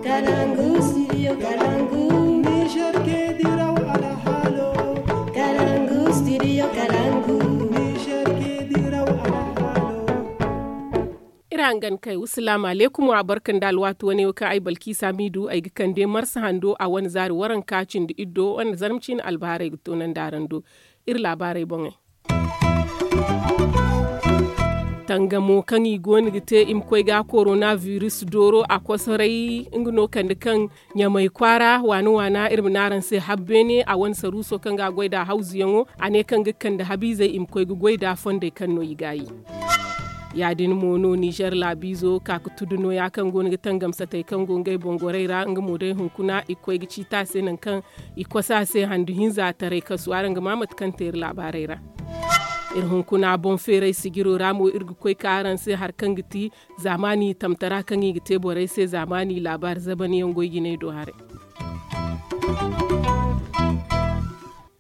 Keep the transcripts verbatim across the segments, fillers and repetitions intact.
Kalangu studio kalangu. Niger ke diraw alhalo. Kalangu studio kalangu. Niger ke diraw alhalo. Iri hangan kay wasalaamu aleykum wa barka nda alwaati wane wo kaŋ ay balkiisa miidu ay ga kande marsa hando a wane zaari waranka cindi iddo wane zarma ciine albahaarey ga toonandi araŋ do. Iri laabaarey boŋey. Tangamo kaŋ i goono ga te i ma koy ga korona virus dooro a kosoray nga no kande kaŋ ɲamay kwaara waana waana iri ma ne araŋ se habbeene a wane saruuso kaŋ ga a goy nd'a hawzuyaŋo. A ne kaŋ ga kande habiizey i ma koy ga goy nd'a fondey kaŋ no i gaayi. Ya- din mo no nizer laabiizo ka ga tudu nooya kaŋ go no ga tangam satey kaŋ go ngey boŋ gorey ra nga mo day hunkuna i ga koy ga ciiti a se nangu kaŋ i kosa se handu hinza taray kasu araŋ ga ma mate kaŋ te iri laabaarey ra. Iri hunkuna boŋ feeray sijiro ra mo iri ga koy ka araŋ se hari kaŋ ga ti zaamaani tamtara kaŋ i ga te borey se zaamaani laabaari zaban yaŋ goy jinay do haray.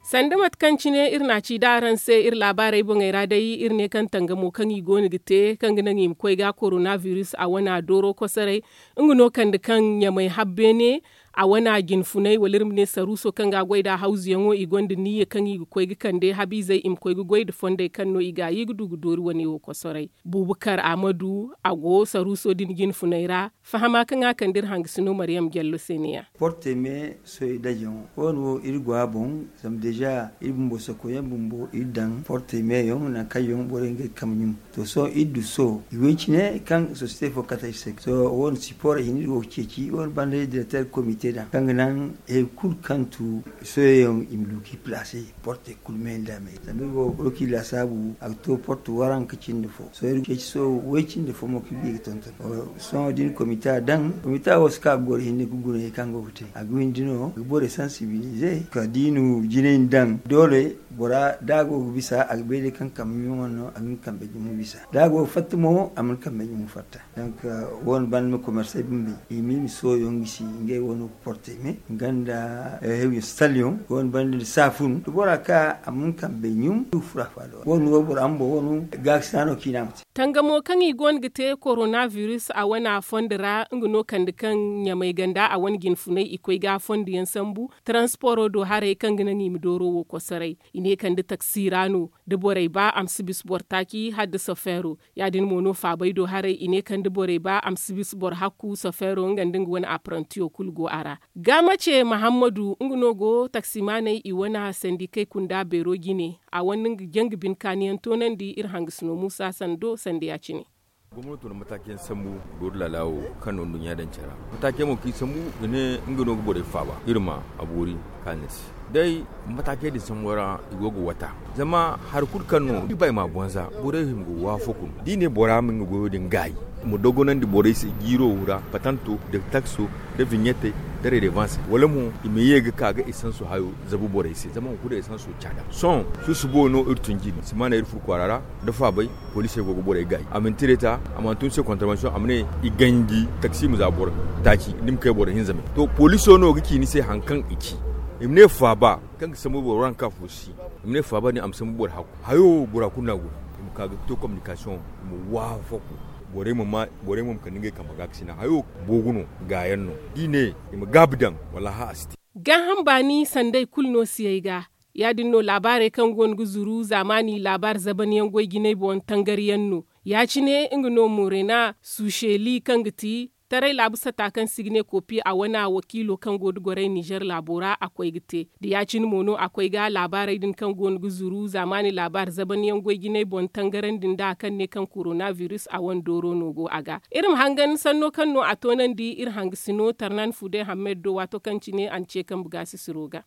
Sanda mate kaŋ cine iri na a ci da araŋ se iri laabaarey boŋey ra day iri ne kaŋ tangamo kaŋ i go no ga te kaŋ ga naŋ i ma koy ga korona virus a wana dooro kosoray. Nga no kande kaŋ ɲamay habbeene a wana jinfunay wala iri ma ne saruuso kaŋ ga a goy nd'a hawzuyaŋo i gonda niyya kaŋ i ga koy ga kande habiizey i ma koy ga goy nda fondey kaŋ no i ga a i ga du ga doori wane wo kosoray. Buubu kar a ma du a go saruuso din jinfunay ra. Fahama kaŋ a kande iri hangasino mariyam jallo se ne- ya. Porte me soy dajaŋo wo- no wo iri go a boŋ. Zama deeza iri bumbo sokoyaŋ bumbo iri daŋ porte meyaŋ nangu kaŋ yaŋ borey ngey kambe ɲum. To sohõ iri du sohõ i way cine kaŋ sosiyete fo kate ay se sohõ wo- no sipor i hinne iri go ga ceeci wo- no banda direkter komite daŋ kaŋ ga naŋ hari kulu kaŋ tu soyayaŋ i ma du k'i palaase. Porte kulu me nda me zama iri go ga roki laasaabu a ga to porte waranka cindi fo sohõ iri ga ceeci sohõ way cindi fo mo kaŋ iri ga ye ga tonton. Sohõ da iri komita daŋ komita wo si ka ga goro hinne ga guna hari kaŋ go ga te a ga windi no ga borey sansibilize kala da i na jinay daŋ doole bora da a go ga bisa a ga bay day kaŋ kambe ɲumo no a ga nga kambe ɲumo bisa da a go ga fatta mo a mana kambe ɲumo fatta. Donk wo- no banda ma komersey bumbo i ma i ma sohõ yaŋ gisi ngey wo- no ga porte me nga nda hewi stallion wo- no banda nda saafun da bora ka a mana kambe ɲum du fura faada wo- no wo- bora bumbo wo- no gaakasina no kaŋ i ne a ma te. Tangamo kaŋ i go no ga te korona virus a wana fondo ra nga no kande kaŋ ɲamay ganda a wane jinfunay i koy ga a fondo yaŋ sambu. Taransporo do haray kaŋ ga naŋ i ma dooro wo kosoray i ne kande taksi ra no da borey ba a ma si bisa boro taaci hala da sofeero. Ya- din mo no faabay do haray i ne kande borey ba a ma si bisa boro hakku sofeero nga nda nga wane aparantiyo kulu go a ra. Ga mace mahammadu nga no go taksimaaney i wane sandikey kunda beero jine a wane nga janga bine kaaniyaŋ toonandi iri hangasino muusa sando sanda ya- cine. Gomnato na mataakiyaŋ sambu doori laala wo kaŋ no nduɲɲa daŋ care ra. Mataakiyaŋ mo kaŋ i sambu ga ne nga no ga borey faaba iri ma a boori kaani se. Day mataakey din sambu ra i go ga wata zama hari kulu kaŋ no i ba i ma a bonza borey hima ga waafo kun da i ne bora ma nga goyo din gaayi i ma dogonandi borey se jiiro ra patanto da takso da viɲete da redevanse wala mo i ma ye ga ka ga esanso hayo zabu borey se zama hunkuna esanso caada sohõ susubo no iri tun jine simaana iri fur kwaara ra da faabay. Poliisey go ga borey gaayi a mana tireta a mana tun se kontarbansiyoŋ a ma ne i ganji taksi ma za boro taaci ni ma kay boro hinza me to poliiso no ga ci ni se hari kaŋ i ci i ma ne faaba kaŋ ga sambu boro waranka fo si i ma ne faaba din a ma sambu boro hakku hayo bora kulu no a guna i ma ka ga to kominikasiyoŋ i ma waafaku borey ma ma borey ma ma kande ngey kambe ga ga sina hayo boogu no gaayaŋ no da i ne i ma gaabi daŋ wallaahi a si te. Gaaham baani sanday kulu no siyey ga. Ya- din no laabaarey kaŋ go no ga zuru zaamaani laabaari zaban yaŋ goy jinay boŋ tangari yaŋ no. Ya- cine nga no morena suuseli kaŋ ga ti taray laabu sata kaŋ se i ga ne kopi a wane wakiilo kaŋ go da goray nizer laabo ra a koy ga te da ya- cine mo no a koy ga laabaarey din kaŋ go no ga zuru zaamaani laabaari zaban yaŋ goy jinay boŋ tangarandi nd'a kaŋ ne kaŋ korona virus a wane dooro no go a ga. Iri ma hangan sanno kaŋ no a toonandi iri hangasino tarnan fude hammed do waato kaŋ cine a na ce kambe gaasisiro ga.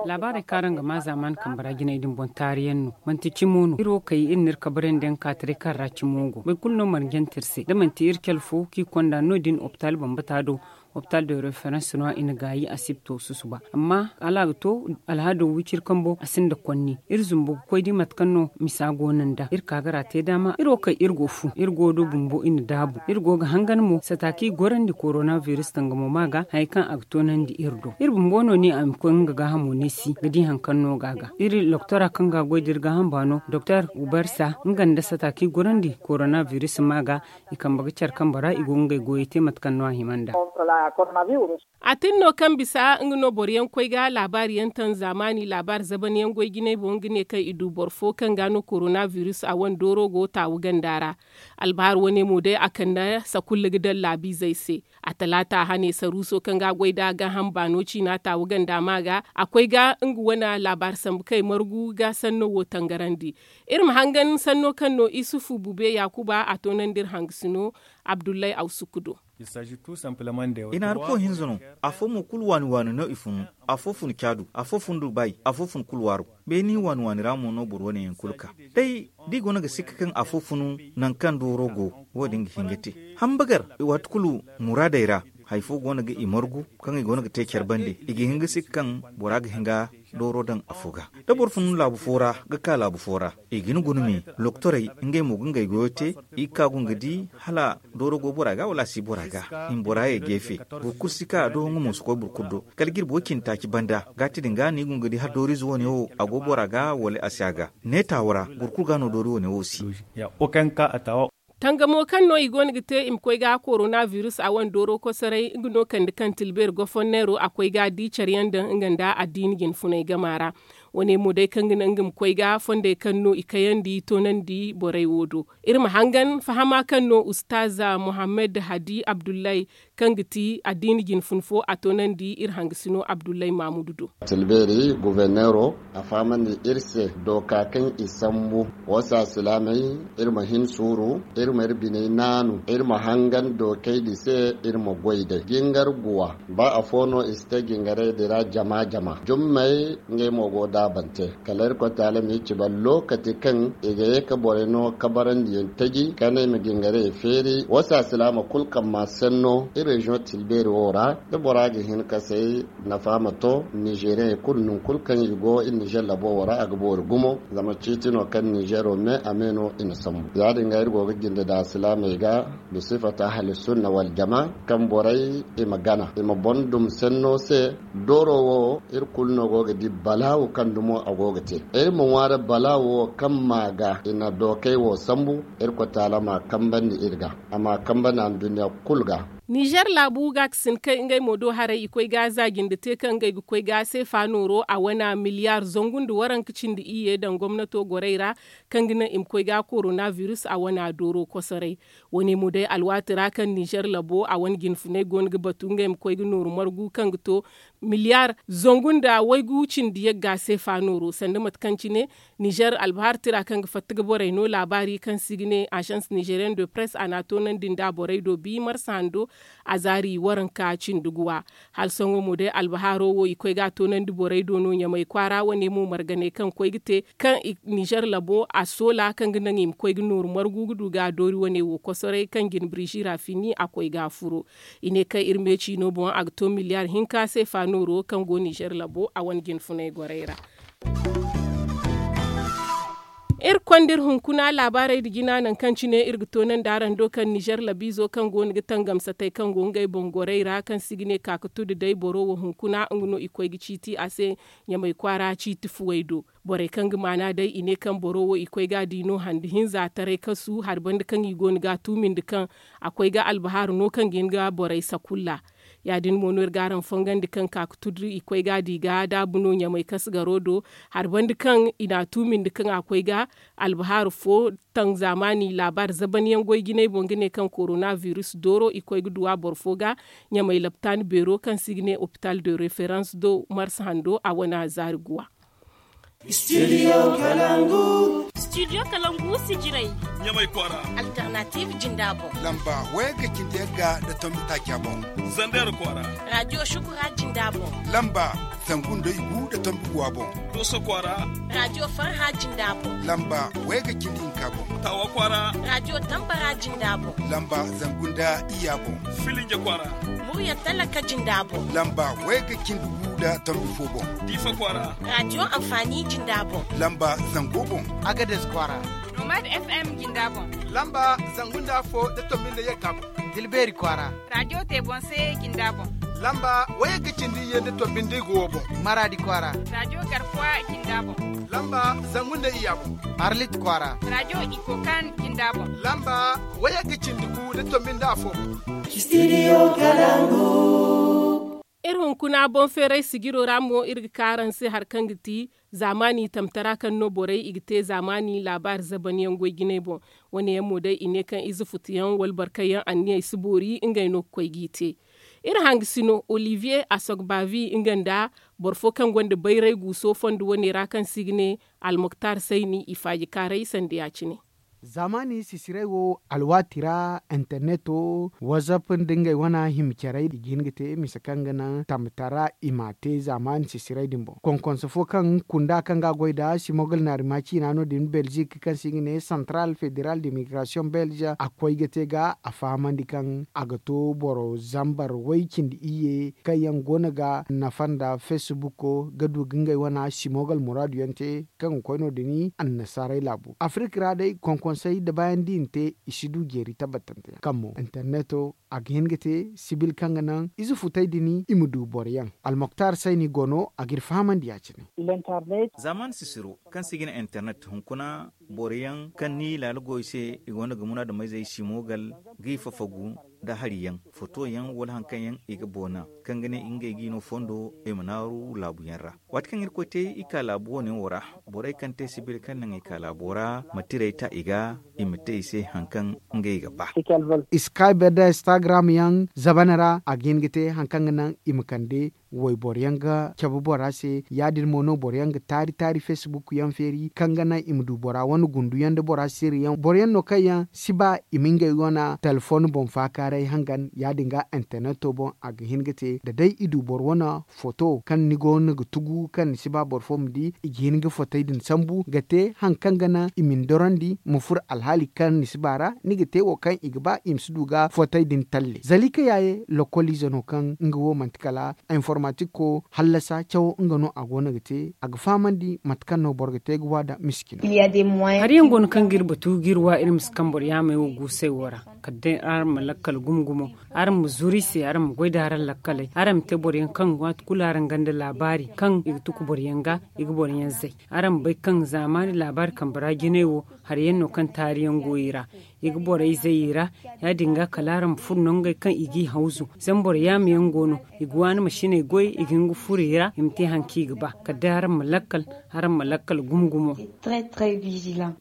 Laabaarey kaŋ araŋ ga maa zaamaani kambe ra jinay din boŋ taariyaŋ no manti cimo no iri wo kay iri na iri kabarandi yaŋ ka taray kaŋ ra cimo go boro kulu no marjante iri se da manti iri cale fo kaŋ i konda no- din opital bambata do. Opital de referans no i na gaayi asibto susuba amma hala a ga to alhaado wiciri kambo a sinda konni iri zumbu ga koy di mate kaŋ no misa go no nd'a iri ka ga ra te daama iri wo kay iri go fu iri go do bumbo i na daabu iri go ga hangan mo sata kaŋ i gorandi korona virus tangamo ma ga hari kaŋ a ga toonandi iri do iri bumbo no ne a ma koy nga gaahamo neesi ga di hari kaŋ no ga a ga iri loktora kaŋ ga a goy da iri gaaham baano doktor ubarsa nga nda sata kaŋ i gorandi korona virus ma ga i kambe ga care kambe ra i go ga ngey goyey te mate kaŋ no a hima nd'a. A tin no kaŋ bisa nga no boro yaŋ koy ga laabaari yaŋ taŋ zaamaani laabaari zaban yaŋ goy jinay boŋ ga ne kaŋ i du boro fo kaŋ ga no korona biris a wane dooro go taawu ganda ra. Albahar wane mo day a kande sakulla ga daŋ laabiizey se. A talaata hane saruuso kaŋ ga a goy nd'a gaaham baano ciina taawu ganda ma ga a koy ga nga wane laabaari sambu kaŋ ay margu ga sanno wo tangarandi. Iri ma hangan sanno kaŋ no isufu bube yaakuba a toonandi iri hangasino abdullahi awsukku do. I na hari fo hinza no. Afo mo kulu waani waani no i funu. Afo fun caadu, afo fun dubayi, afo fun kulu waaro. Beeni waani waani ra mo no boro wane yaŋ kulu ka day da i go no ga sikka kaŋ afo funu. Nangu kaŋ dooro go wo- din ga hin ga te hambagar waati kulu muraadey ra. Hari fo go no ga i margu kaŋ i go no ga te care bande i ga hin ga sikka kaŋ bora ga hin ga dooro daŋ afo ga. Da boro fun laabu fo ra ga ka laabu fo ra i ga hin guna me. Loktorey ngey mo ga ngey goyo te i ga ka go nga di hala dooro go bora ga wala a si bora ga. I ma bora ye geefe boro kulu si ka a do nga mo si koy boro kulu do. Kala jirbi wo- cindi taaci banda gaati din ga no i go nga di hala dooriize wane wo a go bora ga wala a si a ga. Neetaawo ra boro kulu ga no doori wane wo si. Tangamo kaŋ no i go no ga te i ma koy ga korona biris a wane dooro kosoray nga no kande kaŋ tilbeeri gofonneero a koy ga di care yaŋ daŋ nga nda addiini jinfunay gama ra. Wane mo day kaŋ ga naŋ nga ma koy ga fondey kaŋ no i kayandi toonandi borey wo do. Iri ma hangan fahama kaŋ no ustaaza muhammad hadi abdullahi kaŋ ga ti addiini jinfun fo a toonandi iri hangasino abdullahi maamudu do. Tilbeeri guverneero a fahamandi iri se dooka kaŋ i sambu. Wo se alsilaamey, iri ma hin suuru, iri ma iri biney naanu, iri ma hangan dookey din se. Iri ma goy day jingar guwa. Ba afo no i si te jingarey din ra jama jama jummey. Ngey mo go daabante kala irkoy taala ma i ci boro lookati kaŋ i ga ye ka borey no kabarandiyaŋ taji ka ne i ma jingarey feeri wo se alsilaama kulu kaŋ ma senno iri reziyoŋ tilbeeri wo ra. Da bora ga hin ka say nafa ma to nizeeriyaŋey kulu nangu kulu kaŋ i go iri nizer labo wo ra a ga boori gumo. Zama ciiti no kaŋ nizeero me a me no i na sambu ya- din ga iri go ga jinde nda alsilaamey ga. Bisifata ahalisunna waljama kaŋ borey i ma gana i ma boŋ dum senno se. Dooro wo iri kulu no go ga di balaawu kaŋ dumo a go ga te. Iri ma ŋwaari balaawu wo kaŋ ma ga i na dookey wo sambu. Irkoy taala ma a kambandi iri ga a ma a kambandi anduɲɲa kulu ga. Nizer laabu ga ga sinda kay ngey mo do haray i koy ga za jinde te kaŋ ngey ga koy ga seefa nooro a wane miliyaar zangu nda waranka cindi iyye daŋ gomnato gorey ra. Kaŋ ga naŋ i ma koy ga korona biris a wane dooro kosoray. Wane mo day alwaati ra kaŋ nizer labo a wane jinfunay go no ga batu ngey ma koy ga nooru margu kaŋ ga to miliyaar zangu nda waygu cindi yagga seefa nooro sanda mate kaŋ cine. Nizer albahar tira kaŋ ga fatta ga borey no laabaari kaŋ se i ga ne agence nizerienne de presse a na a toonandi nda borey do bi marsa hando. A zaari waranka cindi guwa. Hala sohõ mo day albahaaro wo i koy ga a toonandi borey do no ɲamay kwaara wane mo marganey kaŋ koy ga te kaŋ i nizer labo a soola kaŋ ga naŋ i ma koy ga nooru margu ga du ga a doori wane wo kosoray kaŋ jine birizi ra fini a koy ga a furo. I ne kaŋ iri me ciino boŋ a ga to miliyaar hinka seefa nooro kaŋ go nizer labo a wane jinfunay gorey ra. Iri konda iri hunkuna laabaarey nda jina nangu kaŋ cine iri ga toonandi araŋ do kaŋ nizer labiizo kaŋ go no ga tangamsatey kaŋ go ngey boŋ gorey ra kaŋ se i ga ne kaakatu nda day boro wo hunkuna nga no i koy ga ciiti a se. Ɲamay kwaara ciiti fuwey do. Borey kaŋ ga maana day i ne kaŋ boro wo i koy ga a di no handi hinza taray kasu hari banda kaŋ i go no ga a tuumindi kaŋ a koy ga albahaaru no kaŋ ga hin ga borey sakulla. Ya- din mo no iri ga araŋ fongandi kaŋ ka ga tudu i koy ga a di ga daabu no ɲamay kasgaro do. Hari banda kaŋ i na a tuumindi kaŋ a koy ga albahaaru fo taŋ zaamaani laabaari zaban yaŋ goy jinay boŋ ga ne kaŋ korona biris dooro i koy ga duw'a boro fo ga. Ɲamay laptaani beero kaŋ se i ga ne opital de referans do marsa hando a wane zaari guwa. Studio kalangu. Studio kalangu si jiray. Ɲamay kwaara. Alternative jinda boŋ. Lamba wayga cindi yagga nda tombi taaca boŋ. Zander kwaara. Radio shukura jinda boŋ. Lamba zangu nda igu nda tombi guwa boŋ. Doso kwaara. Radio farha jinda boŋ. Lamba wayga cindi hinka boŋ. Tawa kwaara. Radio tambara jinda boŋ. Lamba zangu nda iyya boŋ. Filinja kwaara. Murya talaka jinda boŋ. Lamba wayga cindi gu nda tombi fo boŋ. Diifa kwaara. Radio amfani jinda boŋ. Lamba zango boŋ. Agades kwaara. Nomad FM jinda boŋ. Lamba zangu nda afo nda tombi nda yagga boŋ. Tilbeeri kwaara. Radio tebonse jinda boŋ. Lamba wayagga cindi iyye nda tombi nda igu wo boŋ. Maraadi kwaara. Radio garkuwa jinda boŋ. Lamba zangu nda iyya boŋ. Arlit kwaara. Radio ikokan jinda boŋ. Lamba wayagga cindi gu nda tombi nda afo boŋ. Studio kalangu. Hunkuna boŋ feeray sijiro ra mo iri ga ka araŋ se hari kaŋ ga ti zaamaani tamtara kaŋ no borey i ga te zaamaani laabaari zabanyaŋ goy jinay boŋ. Wane yaŋ mo day i ne kaŋ ize futuyaŋ wala barkayyaŋ anniyey si boori ngey no ga koy g'i te. Iri hangasino olivier asogbavi nga nda boro fo kaŋ gonda bayray guuso fondo wane ra kaŋ se i ga ne almoktar sayni i faaji kaaray sanda ya- cine. Zaamaani sisiray wo alwaati ra interneto whatsapp nda ngey wane hima carey i ga hin ga te mise kaŋ ga naŋ tamtara i m'a te zaamaani sisiray din boŋ konkonse fo kaŋ kunda kaŋ ga a goy nda simogal naari ma ciina no- din belzik kaŋ se i ga ne central federal de migration belge a koy ga te ga a fahamandi kaŋ a ga to boro zambar way cindi iyye kaŋ yaŋ go no ga nafa nda facebook ga du ga ngey wane simogal muraadu yaŋ te kaŋ ga koy no- din annasaarey laabo afirka ra day konkonsey da baayaŋ da i na te i si du jeeri tabbatante yaŋ kaŋ mo interneto a ga hin ga te sibil kaŋ ga naŋ ize futey din i ma du boro yaŋ almoktar sayni go no a g'iri fahamandi ya- cine. Zaamaani sisiro kaŋ se i ga ne internet hunkuna boro yaŋ kaŋ ni laala go i se i go no ga munaadameyzey simogal g'i fafagu nda hari yaŋ foto yaŋ wala hari kaŋ yaŋ i ga boona kaŋ ga ne ngey g'i no fondo i ma naaru laabu yaŋ ra. Waati kaŋ irkoy te i ka laabu wane wo ra borey kaŋ te sibil kaŋ naŋ i ka laabo ra ma tirey ta i ga i ma te i se hari kaŋ ngey ga ba. Skype nda instagram yaŋ zabana ra a ga hin ga te hari kaŋ ga naŋ i ma kande wayboro yaŋ ga cabe bora se ya- din mo no boro yaŋ ga taari taari facebook yaŋ feeri kaŋ ga naŋ i ma du bora wane gundu yaŋ nda bora sirri yaŋ boro yaŋ no kaŋ yaŋ si ba i ma ngey wane telefon boŋ faakaaray hangan ya- din ga interneto boŋ a ga hin ga te da day i du boro wane foto kaŋ ni go no ga tugu kaŋ ni si ba boro fo ma di i ga hin ga fotey din sambu ga te hari kaŋ ga naŋ i ma ni dorandi ma furo alhaali kaŋ ni si ba ra ni ga te wo kaŋ i ga ba i ma si du ga fotey din talle zalika yaaye lokoliize no kaŋ nga wo manti kala informatik ko hallasa cawo nga no a go no ga te a ga fahamandi mate kaŋ no boro ga te ga waada miskino. Hari yaŋ go no kaŋ ga iri batu ga iri wa iri ma si kaŋ boro yaamey wo guusey wo ra kala day araŋ ma lakkal gumo gumo araŋ ma zuru i se araŋ ma goy nda araŋ lakkaley araŋ ma te boro yaŋ kaŋ waati kulu araŋ gonda laabaari kaŋ i ga tuku boro yaŋ ga i ga boro yaŋ zay araŋ ma bay kaŋ zaamaani laabaari kambe ra jinay wo hari yaŋ no kaŋ taari yaŋ go i ra i ga borey zay i ra ya- din ga kala araŋ ma furo no ngey kaŋ i g'i hawzu zama boro yaama yaŋ go no i ga waani masiney goy i ga hin ga furo i ra i ma te hari kaŋ i ga ba kala day araŋ ma lakkal araŋ ma lakkal gumo gumo.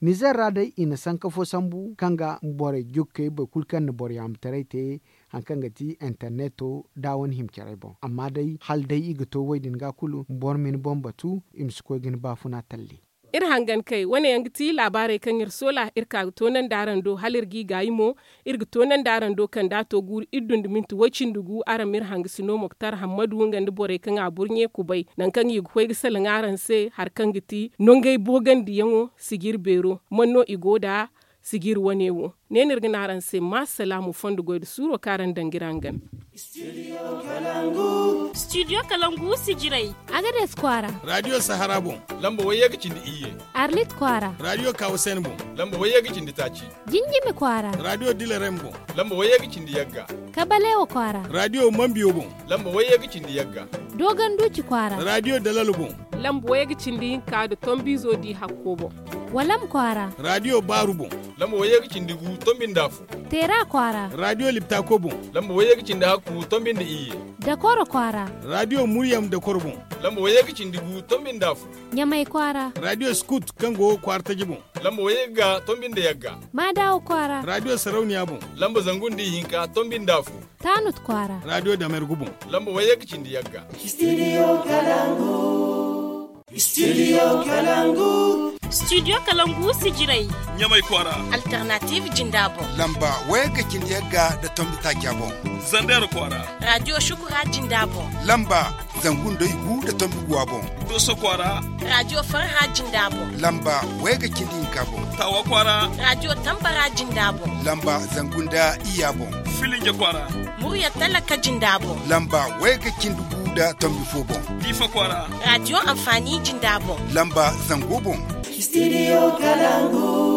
Nizer ra day i na sanka fo sambu kaŋ ga borey jokkey boro kulu kaŋ na boro yaamataray te hari kaŋ ga ti interneto da wane hima carey boŋ amma day hala day i ga to wo- din ga kulu boro ma ni boŋ batu i ma si koy ga ni baafuna talle. Iri hangan kay wane yaŋ ga ti laabaarey kaŋ iri soola iri ka ga toonandi araŋ do hala iri g'i gaayi mo iri ga toonandi araŋ do kand'a to guuru iri dundi minti way-cindi gu araŋ ma iri hangasino moktar hammadu nga nda borey kaŋ a burɲe kubay nangu kaŋ i ga koy ga salaŋ araŋ se hari kaŋ ga ti nongey boogandiyaŋo sijir beero man no i go nd'a sijir wane wo. Ne no iri ga ne araŋ se ma salaamu fondo goy nda suuro kaŋ araŋ daŋ ga iri hangan. Studio kalangu sijirey. Agades kwaara. Radio sahara boŋ. Lamba wayye ga cindi iyye. Arlit kwaara. Radio kawasen boŋ. Lamba wayye ga cindi taaci. Jinjimi kwaara. Radio dilarem boŋ. Lamba wayye ga cindi yagga. Kabalewa kwaara. Radio mambiyo boŋ. Lamba wayye ga cindi yagga. Dogon duci kwaara. Radio dalalo boŋ. Lamba wayye ga cindi hinka nda tombizo di hakko boŋ. Walam kwaara. Radio baaru boŋ. Lamba wayye ga cindi gu tombi nda afo. Teera kwaara. Radio liptako boŋ. Lamba wayye ga cindi hakku tombi nda iyye. Dakoro kwaara. Radio muryam dakoro boŋ. Lamba wayye ga cindi gu tombi nda afo. Ɲamay kwaara. Radio skut kaŋ go kwaara taji boŋ. Lamba wayye ga tombi nda yagga. Maadawa kwaara. Radio sarauniya boŋ. Lamba zangu nda ihinka tombi nda afo. Taanut kwaara. Radio damergu boŋ. Lamba wayye ga cindi yagga. Studio kalangu. Studio kalangu. Studio kalangu sijirey. Ɲamay kwaara. Alternative jinda boŋ. Lamba wayye ga cindi yagga nda tombi taaca boŋ. Zander kwaara. Radio shukura jinda boŋ. Lamba zangu nda igu nda tombi guwa boŋ. Doso kwaara. Radio farha jinda boŋ. Lamba wayye ga cindi hinka boŋ. Tawa kwaara. Radio tambara jinda boŋ. Lamba zangu nda iyya boŋ. Filinge kwaara. Murya talaka jinda boŋ. Lamba wayye ga cindi gu nda tombi fo boŋ. Difa kwaara. Radio amfani jinda boŋ. Lamba zango boŋ. Studio kalangu.